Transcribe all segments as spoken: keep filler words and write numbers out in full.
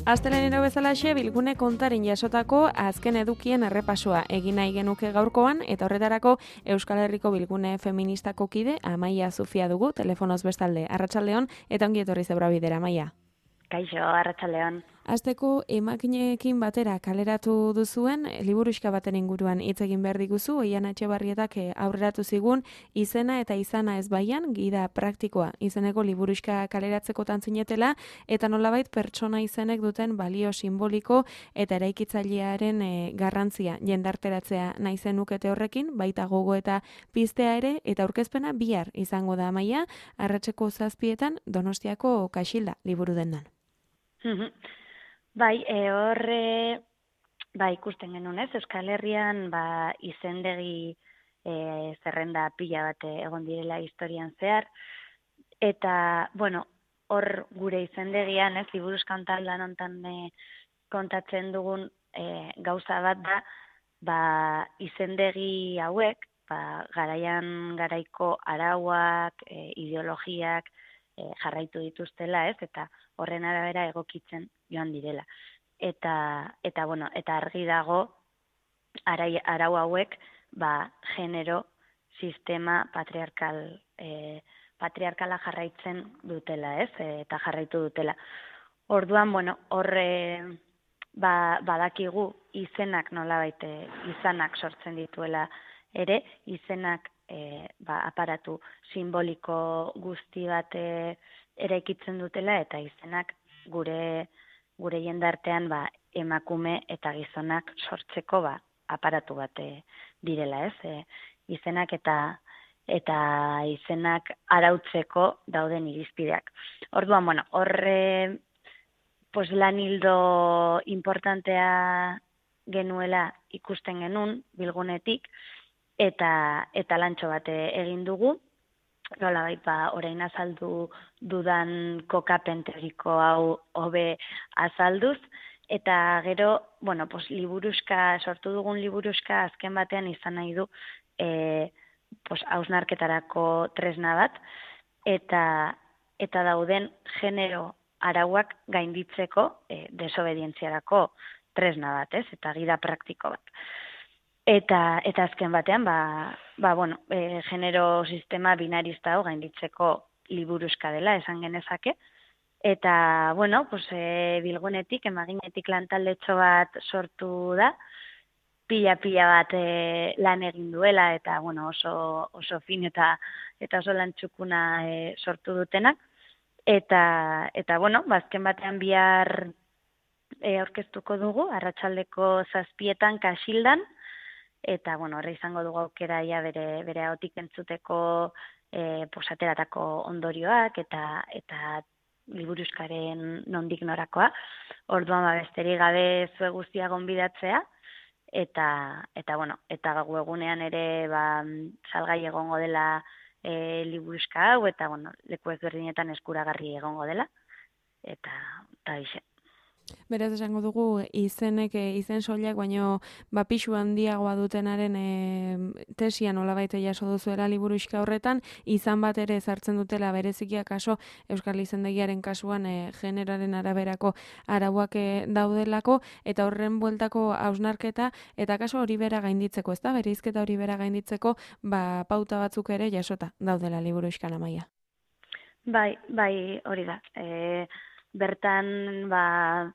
Astelenero bezalaxe bilgune kontarin jasotako azken edukien errepasoa egin nahi genuke gaurkoan eta horretarako Euskal Herriko bilgune feministako kide Amaia Zufia dugu telefonoz bestalde. Arratsaldeon eta ongi etorri Zebrabidera, Amaia. Kaixo, arratsaldeon. Asteko emakineekin batera kaleratu duzuen liburuxka baten inguruan hitz egin behar diguzu, Oian Etxebarrietak aurreratu zigun izena eta izana ez baian, gida praktikoa izeneko liburuxka kaleratzekotan zinetela, eta nolabait pertsona izenek duten balio simboliko eta eraikitzailearen e, garrantzia jendarteratzea nahi zenukete horrekin, baita gogo eta piztea ere, eta aurkezpena bihar izango da, Amaia, arratseko zazpietan Donostiako Kaxilda liburu dendan. Bai, e, horre, ba, ikusten genuen ez, Euskal Herrian ba, izendegi e, zerrenda pila bat egon direla historian zehar, eta, bueno, hor gure izendegian, ez, liburuzkan taldan ontan e, kontatzen dugun e, gauza bat da, ba, izendegi hauek, ba, garaian garaiko arauak, e, ideologiak, e, jarraitu dituztela, ez, eta horren arabera egokitzen joan direla. Eta, eta bueno, eta argi dago arai, arau hauek ba, genero sistema patriarkal, e, patriarkala jarraitzen dutela, ez? E, eta jarraitu dutela. Orduan, bueno, horre ba, badakigu izenak nolabait izanak sortzen dituela ere, izenak e, ba, aparatu simboliko guzti bat e, eraikitzen dutela, eta izenak gure gure jendartean ba, emakume eta gizonak sortzeko ba, aparatu bat e, direla, ez? E, izenak eta eta izenak arautzeko dauden irizpideak. Orduan, bueno, horre pues, lan hildo importantea genuela ikusten genuen bilgunetik, eta eta lantxo bat egin dugu, nolabait ba orain azaldu dudan kokapen teoriko hau hobe azalduz, eta gero, bueno, pues liburuxka, sortu dugun liburuxka azken batean izan nahi du e, pues hausnarketarako tresna bat, eta eta dauden genero arauak gainditzeko e, desobedientziarako tresna bat, ez? Eta gida praktiko bat. Eta, eta azken batean, ba, ba, bueno, e, genero sistema binarista hau gainditzeko liburuxka dela, esan genezake. Eta, bueno, pues, e, bilgunetik, emaginetik lantaldetxo bat sortu da, pila-pila bat e, lan egin duela, eta, bueno, oso, oso fin eta, eta oso lantxukuna e, sortu dutenak. Eta, eta bueno, azken batean bihar e, aurkeztuko dugu, arratsaldeko zazpietan Kaxildan, eta, bueno, horre izango dugu aukera ja bere, bere ahotik entzuteko e, posateratako ondorioak eta eta liburuxkaren nondik norakoa. Orduan, ba, besterik gabe zue guztia gonbidatzea, eta, eta, bueno, eta webgunean ere ba, salgai egongo dela e, liburuxka hau, eta, bueno, leku ezberdinetan eskuragarri egongo dela, eta, eta bixe. Beraz esango dugu izenek, izen soilak, baino ba, pixu handiagoa dutenaren e, tesia nolabait jaso duzuela liburuxka horretan, izan bat ere ezartzen dutela berezikia kaso Euskal Izendegiaren kasuan e, generaren araberako arauak e, daudelako, eta horren bueltako hausnarketa, eta kaso hori bera gainditzeko, ezta? Bereizketa hori bera gainditzeko ba, pauta batzuk ere jasota daudela liburuxkan, Amaia. Bai, bai, hori da. E, bertan, ba,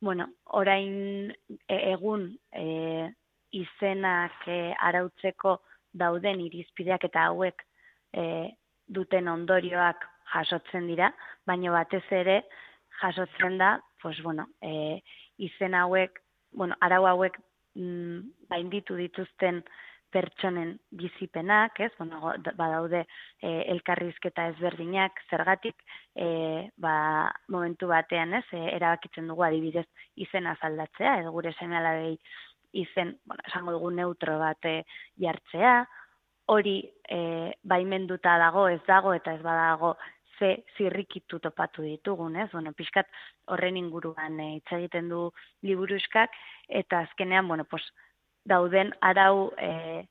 bueno, orain e, egun e, izenak e, arautzeko dauden irizpideak eta hauek e, duten ondorioak jasotzen dira, baina batez ere jasotzen da, pues, bueno, e, izen hauek, bueno, arau hauek mm, bainditu dituzten pertsonen bizipenak, ez? Bueno, badaude e, elkarrizketa ezberdinak, zergatik e, ba, momentu batean, ez? E, erabakitzen dugu adibidez izena aldatzea, edo gure seme-alabei izen, bueno, esango dugu neutro bat e, jartzea, hori e, baimenduta dago, ez dago, eta ez badago ze zirrikitu topatu ditugun, ez? Bueno, pixkat horren inguruan e, hitz egiten du liburuxkak, eta azkenean, bueno, pues, dauden arau e,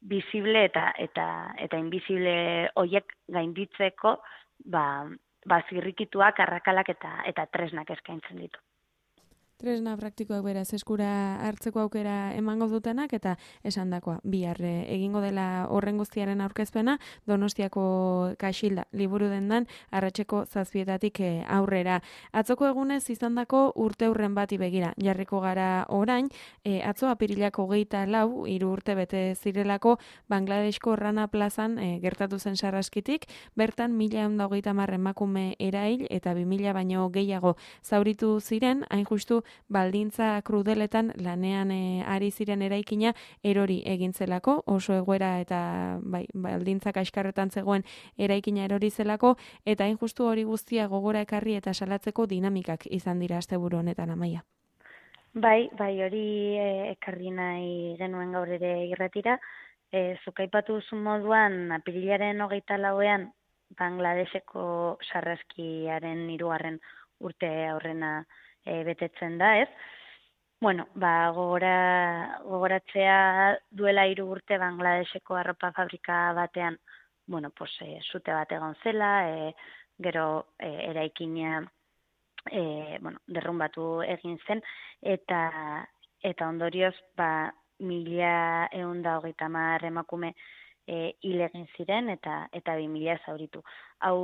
visible eta eta eta invisible hoiek gainditzeko ba, ba zirrikituak, arrakalak eta eta tresnak eskaintzen ditu. Tresna praktikoak beraz eskura hartzeko aukera emango dutenak eta esandakoa bihar egingo dela horren guztiaren aurkezpena Donostiako Kaxilda liburu dendan arratseko zazpietatik aurrera. Atzoko egunez izandako urteurren bati begira jarriko gara orain, e, atzo apirilak hogeita lau, hiru urte bete zirelako Bangladesko Rana plazan e, gertatu zen sarraskitik, bertan mila ehun eta hogeita hamar emakume erail eta bi mila baino gehiago zauritu ziren, hain justu baldintza krudeletan lanean e, ari ziren eraikina erori egin zelako, oso egoera eta bai, baldintza kaskarretan zegoen eraikina erori zelako, eta hain justu hori guztia gogora ekarri eta salatzeko dinamikak izan dira asteburu honetan, Amaia. Bai, bai, hori e, ekarri nahi genuen gaur ere irratira. E, zuk aipatu duzun moduan, apirilaren hogeita lauean, Bangladeseko sarraskiaren hirugarren urte aurrena e, betetzen da, ez? Bueno, ba, gogora, gogoratzea duela hiru urte Bangladeseko arropa fabrika batean, bueno, pues, e, sute bat egon zela, e, gero e, eraikina e, bueno, derrumbatu egin zen, eta eta ondorioz, ba, mila ehun eta hogeita hamar emakume e, hil egin ziren, eta eta bi mila zauritu. Hau,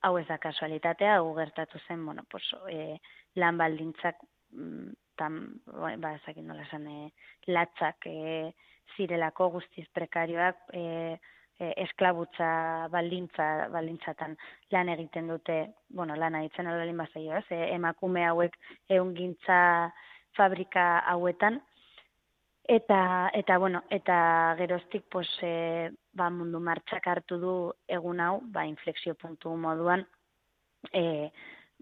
hau ez da kasualitatea, hau gertatu zen, bueno, pues, e, lan baldintzak, tan, ba, ezakin nola esan, e, latzak e, zirelako guztiz prekarioak, e, e, esklabutza baldintza, baldintzatan lan egiten dute, bueno, lan egiten albalin bazaio, ez, e, emakume hauek ehungintza fabrika hauetan, eta, eta bueno, eta geroztik, pues, e, ba, mundu martxak hartu du egun hau, ba, inflexio puntu moduan, e,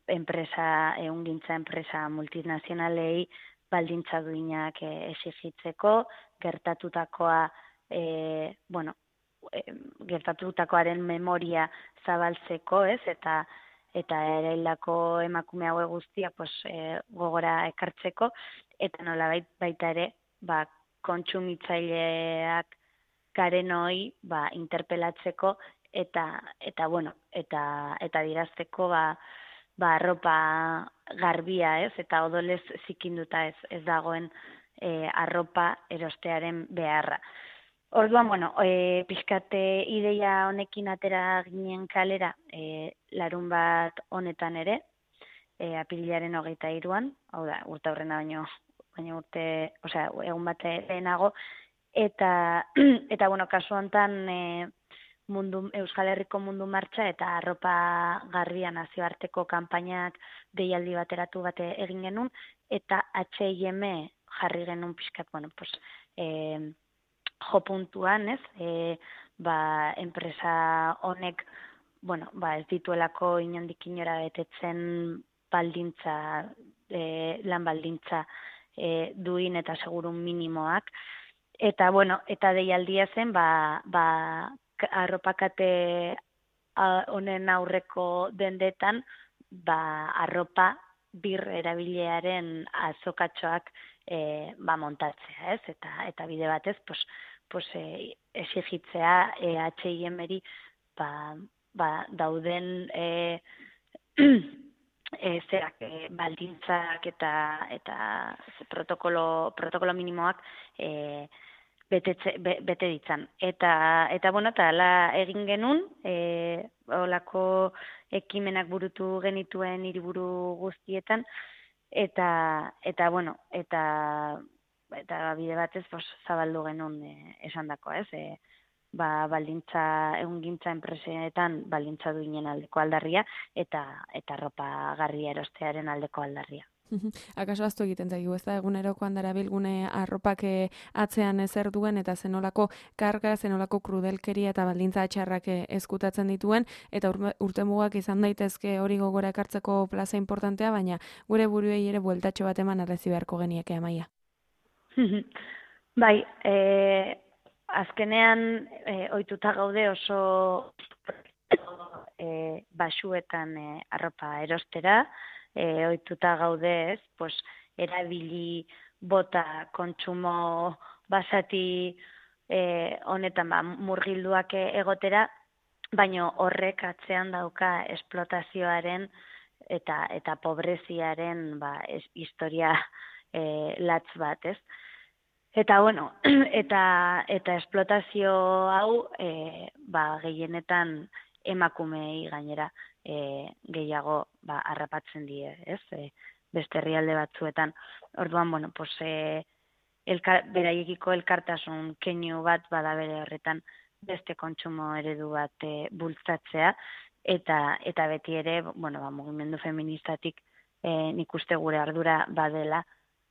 enpresa, ehungintza enpresa multinazionalei baldintza duinak e, exigitzeko, gertatutakoa, e, bueno, e, gertatutakoaren memoria zabaltzeko, ez, eta eta eraildako emakume haue guztia, pues, e, gogora ekartzeko, eta nola baita ere, ba, kontsumitzaileak garen hoi, ba, interpelatzeko, eta, eta bueno, eta, eta dirazteko, ba, ba, arropa garbia, ez, eta odolez zikinduta ez, ez dagoen e, arropa erostearen beharra. Orduan, bueno, e, pixkate ideia honekin atera ginen kalera, e, larun bat honetan ere, e, apirilaren hogeita hiruan, hau da, urte aurrena baino, baino urte, osea, egun bat lehenago, eta, eta bueno, kasu honetan, e, mundu, Euskal Herriko mundu martxa eta arropa garbia nazioarteko kanpainak deialdi bateratu bate egin genuen, eta H and M jarri genuen pixkat, bueno, pues, e, jo puntuan, ez, e, ba, enpresa honek, bueno, ba, ez dituelako inondik inora betetzen baldintza, e, lan baldintza e, duin eta segurun minimoak, eta, bueno, eta deialdia zen, ba, ba, arropakate honen aurreko dendetan, ba, arropa bir erabilearen azokatxoak e, ba, montatzea, ez? Eta, eta bide batez, pues, pues, e, exigitzea e, H and M-eri ba, ba, dauden e, e, zerak, e, baldintzak eta, eta protokolo, protokolo minimoak e, Betetze, be, bete ditzan. Eta, eta bueno, eta ala egin genuen, e, olako ekimenak burutu genituen hiriburu guztietan, eta, eta bueno, eta, eta bide batez pues, zabaldu genuen e, esan dako, ez? E, ba, baldintza, ehungintza enpresetan baldintza duinen aldeko aldarria, eta, eta ropa garria erostearen aldeko aldarria. Akaso aztu egiten zaigu, ez da, egunerokoan darabilgune arropak atzean ezer duen eta zenolako karga, zenolako krudelkeria eta baldintza atxarrak eskutatzen dituen, eta urte mugak izan daitezke hori gogora ekartzeko plaza importantea, baina gure buruei ere bueltatxo bat eman arrezi beharko genieke, Amaia. Bai, e, azkenean e, ohituta gaude oso e, basuetan e, arropa erostera, E, ohituta gaude, ez, pues, erabili bota kontsumo basati e, honetan ba, murgilduak egotera, baino horrek atzean dauka esplotazioaren eta eta pobreziaren ba es, historia e, latz bat, ez? Eta bueno, eta eta esplotazio hau e, ba gehienetan emakumei gainera e, gehiago ba harrapatzen die, ez? E, beste herrialde batzuetan. Orduan, bueno, pues eh elkar, beraiekiko elkartasun keinu bat bada bere horretan beste kontsumo eredu bat e, bultzatzea eta eta beti ere, bueno, ba mugimendu feministatik eh nik uste gure ardura badela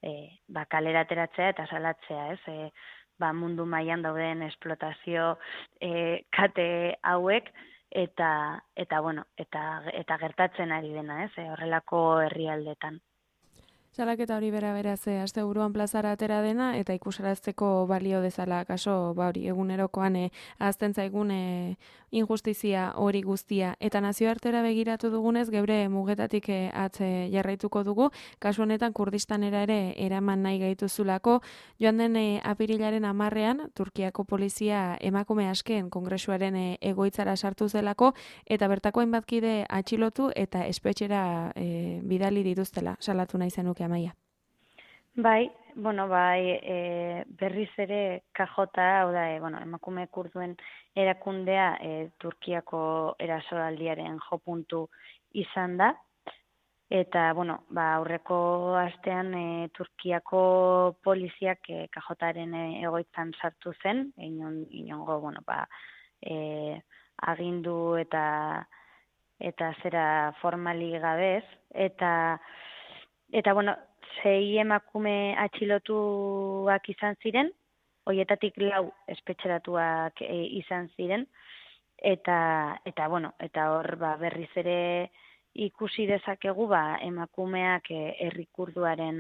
e, ba kalera ateratzea eta salatzea, ez? E, ba mundu mailan dauden esplotazio e, kate hauek eta eta bueno, eta eta gertatzen ari dena, ez? E, horrelako herrialdetan. Salaketa hori bera beraz e, asteburuan plazara atera dena eta ikusarazteko balio dezala kaso ba hori egunerokoan e, ahazten zaigun e, injustizia hori guztia eta nazioartera begiratu dugunez geure mugetatik e, atze jarraituko dugu kasu honetan Kurdistanera ere eraman nahi gaituzulako joan den e, apirilaren hamarrean Turkiako polizia emakume asken kongresuaren e, egoitzara sartu zelako eta bertako hainbatkide atxilotu eta espetxera e, bidali dituztela salatu nahi zenuke Amaia. Bai, bueno, bai, e, berriz ere K J, hau da, e, bueno, emakume kurduen erakundea e, Turkiako erasoaldiaren jopuntu izan da, eta, bueno, ba, aurreko astean e, Turkiako poliziak e, K Jaren e, egoitzan sartu zen, inon, inongo, bueno, ba, e, agindu eta eta zera formali gabez, eta Eta, bueno, sei emakume atxilotuak izan ziren, hoietatik lau espetxeratuak e, izan ziren, eta, eta bueno, eta hor ba, berriz ere ikusi dezakegu ba, emakumeak e, herri kurduaren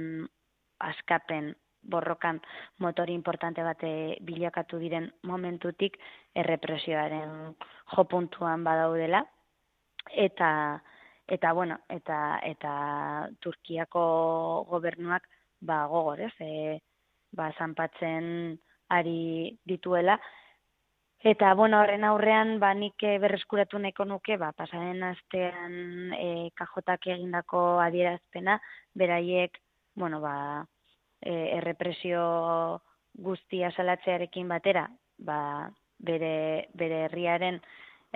askapen borrokan motori importante bate bilakatu diren momentutik errepresioaren jopuntuan badaudela, eta Eta, bueno, eta, eta Turkiako gobernuak ba, gogor, ez, e, ba, zanpatzen ari dituela. Eta, bueno, horren aurrean, ba, nik berreskuratu nahiko nuke, ba, pasaren astean e, K Jak egindako adierazpena, beraiek, bueno, ba, e, errepresio guztia salatzearekin batera, ba, bere, bere herriaren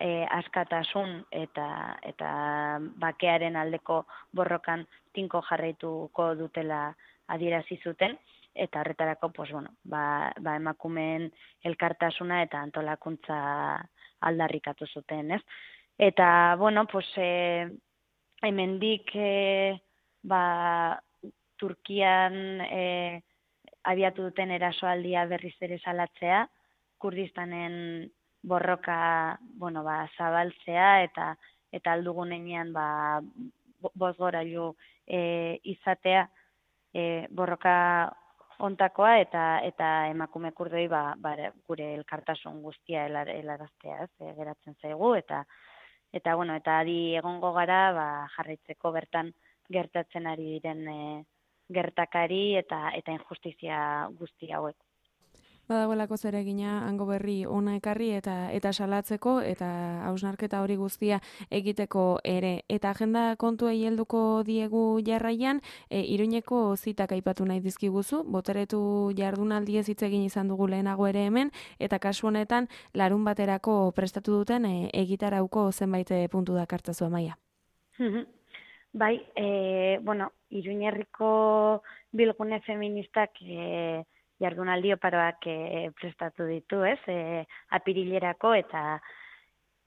E, askatasun eta eta bakearen aldeko borrokan tinko jarraituko dutela adierazi zuten eta horretarako pues bueno, ba, ba emakumeen elkartasuna eta antolakuntza aldarrikatu zuten, ez? Eta bueno, pues eh hemendik eh ba Turkian eh abiatu duten erasoaldia berriz ere salatzea, Kurdistanen borroka, bueno, ba, zabaltzea eta eta aldugunean ba bozgorailu e, izatea e, borroka ontakoa eta eta emakume kurdoi ba, ba gure elkartasun guztia helaraztea, ez, e, geratzen zaigu eta eta bueno, eta adi egongo gara ba jarraitzeko bertan gertatzen ari diren e, gertakari eta eta injustizia guzti hauek. Badagoelako zeregina hango berri ona ekarri eta eta salatzeko eta hausnarketa hori guztia egiteko ere. Eta agenda kontuei helduko diegu jarraian, e, Iruñeko zitak aipatu nahi dizkiguzu, boteretu jardunaldiez hitz egin izan dugu lehenago ere hemen, eta kasu honetan larun baterako prestatu duten e, egitarauko zenbait puntu dakartzazu Amaia. Bai, e, bueno, Iruñerriko bilgune feministak e, jardunaldi oparoak e, prestatu ditu, ez? E, apirilerako eta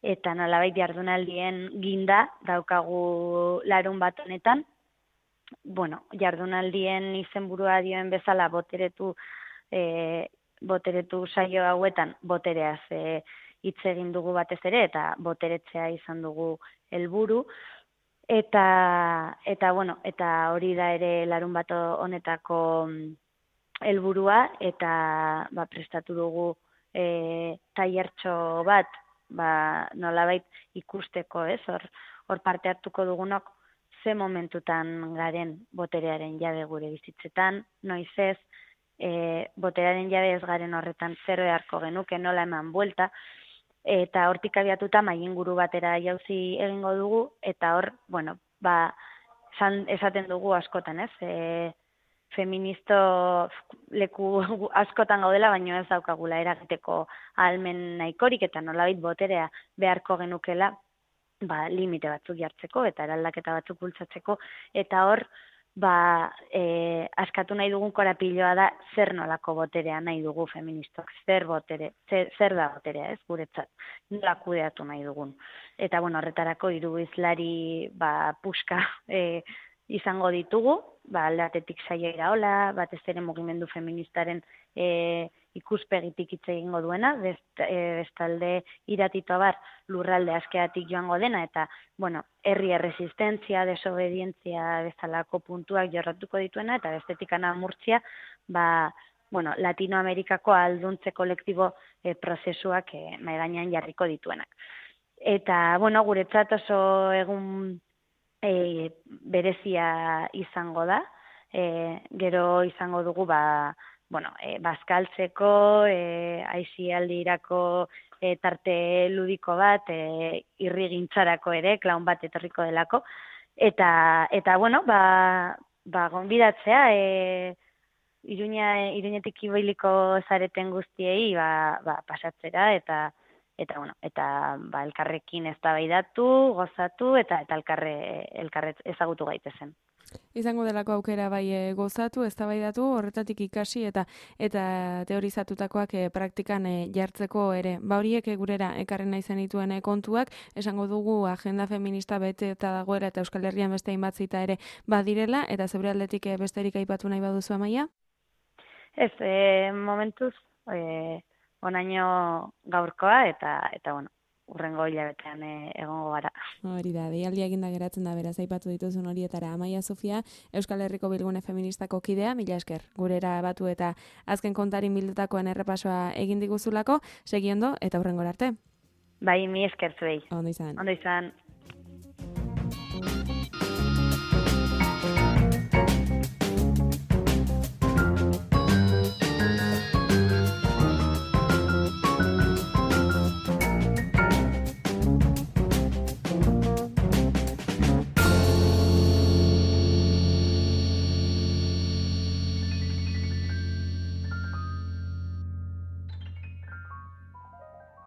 eta nolabait jardunaldien ginda daukagu larun bat honetan. Bueno, jardunaldien izenburua dioen bezala boteretu e, boteretu saio hauetan botereaz e, hitz egin dugu batez ere eta boteretzea izan dugu helburu. Eta eta bueno, eta hori da ere larun bat honetako helburua eta ba, prestatu dugu e, tailertxo bat, ba, nolabait ikusteko, ez? Hor, hor parte hartuko dugunok ze momentutan garen boterearen jabe gure bizitzetan, noiz ez, e, boterearen jabe ez garen horretan zer beharko genuke, nola eman buelta, eta hortik abiatuta mailinguru batera jauzi egingo dugu, eta hor, bueno, ba, san, esaten dugu askotan, ez? E, feministo leku askotan gaudela, baino ez daukagula eragiteko ahalmen nahikorik eta nolabait boterea beharko genukela, ba, limite batzuk jartzeko eta eraldaketa batzuk bultzatzeko, eta hor, ba, e, askatu nahi dugun korapiloa da zer nolako boterea nahi dugu feministok, zer botere, zer, zer da boterea, ez, guretzat, nola kudeatu nahi dugun. Eta, bueno, horretarako hiru hizlari, ba, puska e, izango ditugu, ba, alde batetik Saia Iraola, batez ere mugimendu feministaren e, ikuspegitik hitz egingo duena, best, e, bestalde Iratito Abar lurralde askeatik joango dena, eta, bueno, herri erresistentzia, desobedientzia bezalako puntuak jorratuko dituena, eta bestetik Ana Murtzia, ba, bueno, Latinoamerikako alduntze kolektibo e, prozesuak e, mahai gainean jarriko dituenak. Eta, bueno, guretzat oso egun E, berezia izango da, e, gero izango dugu ba, bueno, e, bazkaltzeko, e, aizialdirako e, tarte ludiko bat, e, irrigintzarako ere, klaun bat etorriko delako, eta, eta bueno, ba, ba gonbidatzea, e, Iruña, Iruñetik ibailiko zareten guztiei ba, ba, pasatzera, eta Eta, bueno, eta ba, elkarrekin eztabaidatu, gozatu, eta eta elkarre, elkarre ezagutu gaitezen. Izango delako aukera bai e, gozatu, eztabaidatu, horretatik ikasi eta eta teorizatutakoak e, praktikan e, jartzeko ere. Ba horiek e, gurera ekarren nahi zenituen e, kontuak, esango dugu agenda feminista bete eta dagoera eta Euskal Herrian beste hainbat zita ere badirela, eta zeure aldetik e, besterik aipatu nahi baduzu Amaia? Ez, e, momentuz, e, onaino gaurkoa, eta, eta bueno, urrengo hilabetean e, egongo gara. Hori da, deialdia eginda geratzen da, beraz, aipatu dituzun horietara. Amaia Sofia, Euskal Herriko Bilgune Feministako kidea, mila esker, gurera batu eta azken kontarin bildutakoen errepasoa egin diguzulako, segiondo eta urrengora arte. Bai, mi esker zuei. Ondo izan. Ondo izan.